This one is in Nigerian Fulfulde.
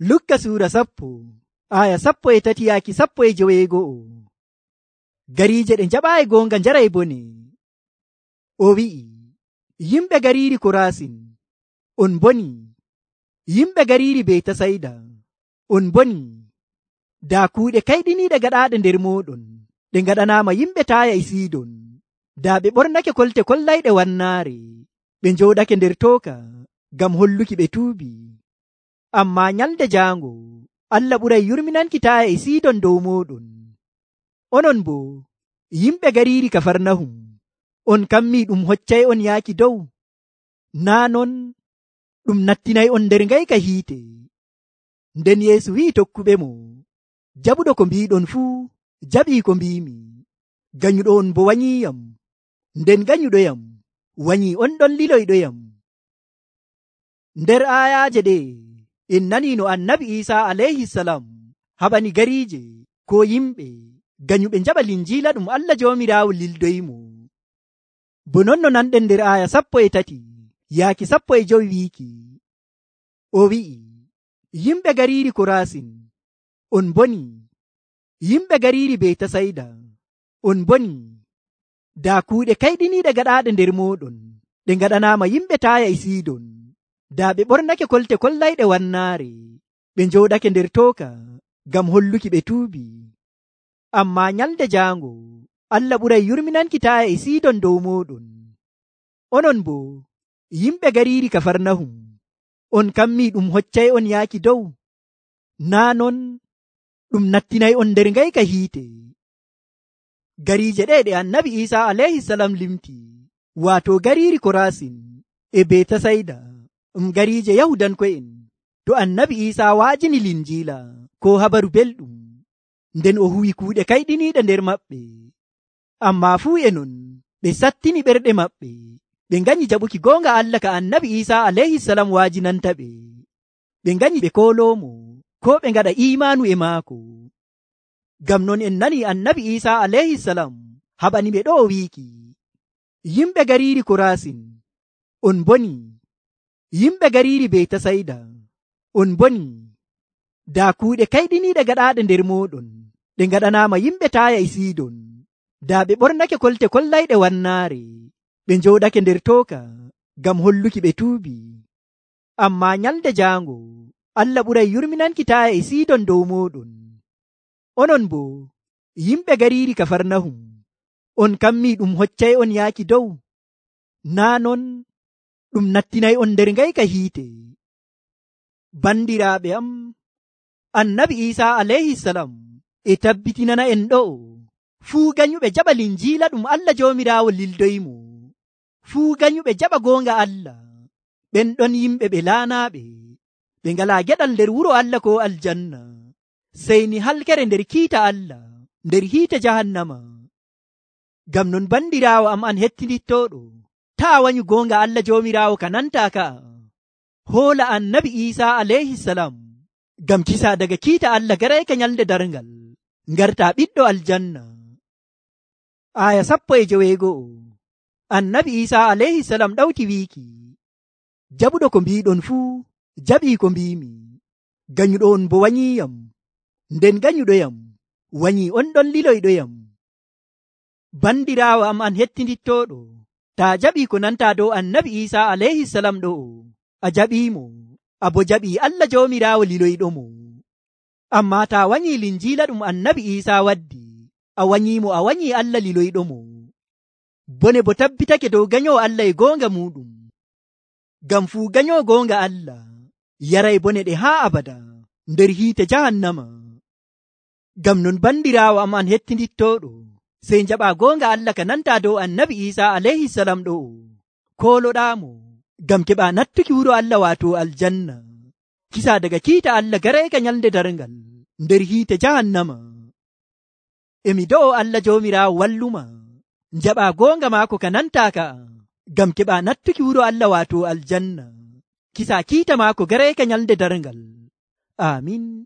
Lukka suura 10:1-11. Gariije ɗe njaɓaayi goonga njaray bone. O wi'i, yimɓe gariiri Koraasin, on boni. Yimɓe gariiri Betasayda, on boni. Daa kuuɗe kayɗiniiɗe gaɗaaɗe nder mooɗon ɗe ngaɗanaama yimɓe Taaya e Siidon. Daa ɓe ɓornake kolte kollayɗe wannaare, ɓe njooɗake nder tooka ngam holluki ɓe tuubi. Ammaa nyalnde jaango Allah ɓuray yurminanki Taaya e Siidon dow mooɗon. Onon boo yimɓe gariiri Kafarnahum, on kammii ɗum hoccay on yaaki dow. Naa non ɗum nattinay on nder ngayka hiite. Nden Yeesu wi'i tokkuɓemo, jaɓuɗo ko mbiiɗon fuu jaɓii ko mbiimi. Ganyuɗo on bo wanyiiyam, nden ganyuɗoyam wanyii on ɗon liloyɗoyam. Nder aayaaje ɗe en nanii no Annabi Iisaa alayhisalam haɓani gariije ko yimɓe ganyuɓe njaɓa linjiila ɗum Allah Joomiraawo lildoyimo. Bo non no nanɗen nder aaya 13-15 wiiki, o wi'i, yimɓe gariiri Koraasin, on boni. Yimɓe gariiri Betasayda, on boni. Daa kuuɗe kayɗiniiɗe gaɗaaɗe nder mooɗon ɗe ngaɗanaama yimɓe Taaya e Siidon. Daa ɓe ɓornake kolte kollayɗe wannaare, ɓe njooɗake nder tooka ngam holluki ɓe tuubi. Ammaa nyalnde jaango Allah ɓuray yurminanki Taaya e Siidon dow mooɗon. Onon boo yimɓe gariiri Kafarnahum, on kammii ɗum hoccay on yaaki dow. Naa non ɗum nattinay on nder ngayka hiite. Gariije ɗe ɗe Annabi Iisaa alayhisalam limti, waato gariiri Koraasin e Betasayda, gariije Yahudanko'en, to Annabi Iisaa waajini linjiila ko habaru belɗum, nden o huwi kuuɗe kayɗiniiɗe nder maɓɓe. Ammaa fuu e non ɓe sattini ɓerɗe maɓɓe, ɓe nganyi jaɓuki goonga Allah ka Annabi Iisaa alayhisalam waajinanta ɓe. Ɓe nganyi ɓe kooloomo ko ɓe ngaɗa iimaanu e maako. Ngam non en nanii Annabi Iisaa alayhisalam haɓani ɓe ɗo wiiki, yimɓe gariiri Koraasin, on boni. Yimɓe gariiri Betasayda, on boni. Daa kuuɗe kayɗiniiɗe gaɗaaɗe nder mooɗon ɗe ngaɗanaama yimɓe Taaya e Siidon. Daa ɓe ɓornake kolte kollayɗe wannaare, ɓe njooɗake nder tooka ngam holluki ɓe tuubi. Ammaa nyalnde jaango Allah ɓuray yurminanki Taaya e Siidon dow mooɗon. Onon boo yimɓe gariiri Kafarnahum, on kammii ɗum hoccay on yaaki dow. Naa non ɗum nattinay on nder ngayka hiite. Bandiraaɓe am, Annabi Iisaa alayhisalam e tabbitinana en ɗo, fuu ganyuɓe jaɓa linjiila ɗum Allah Joomiraawo lildoyimo. Fuu ganyuɓe jaɓa goonga Allah, ɓen ɗon yimɓe ɓe laanaaɓe, ɓe ngalaa geɗal nder wuro Allah ko aljanna, sey ni halkere nder kiita Allah, nder hiite jahannama. Ngam non bandiraawo am an hettinittooɗo, taa wanyu goonga Allah Joomiraawo ka nantaa ka'a. Hoola Annabi Iisaa alayhisalam ngam kisa daga kiita Allah garayka nyalnde darngal, ngartaa ɓiɗɗo aljanna. Aaya 15. Annabi Iisaa alayhisalam ɗawti wiiki, jaɓuɗo ko mbiiɗon fuu jaɓii ko mbiimi. Ganyuɗo on bo wanyiiyam, nden ganyuɗoyam wanyii on ɗon liloyɗoyam. Bandiraawo am an hettinittooɗo, taa jaɓii ko nantaa dow Annabi Iisaa alayhisalam ɗo, a jaɓiimo, a bo jaɓii Allah Joomiraawo liloyɗomo. Ammaa taa wanyii linjiila ɗum Annabi Iisaa waddi, a wanyiimo, a wanyii Allah liloyɗomo. Bone bo tabbitake dow ganyowo Allah e goonga muɗum. Ngam fuu ganyowo goonga Allah yaray bone ɗe haa abada nder hiite jahannama. Ngam non bandiraawo am an hettinittooɗo, sey njaɓaa goonga Allah ka nantaa dow Annabi Iisaa alayhisalam ɗo, kooloɗaamo ngam keɓaa nattuki wuro Allah waato aljanna, kisa daga kiita Allah garayka nyalnde darngal nder hiite jahannama. Emi do'o Allah Joomiraawo walluma, njaɓaa goonga maako ka nantaa ka'a, ngam keɓaa nattuki wuro Allah waato aljanna, kisa kiita maako garayka nyalnde darngal. Amin.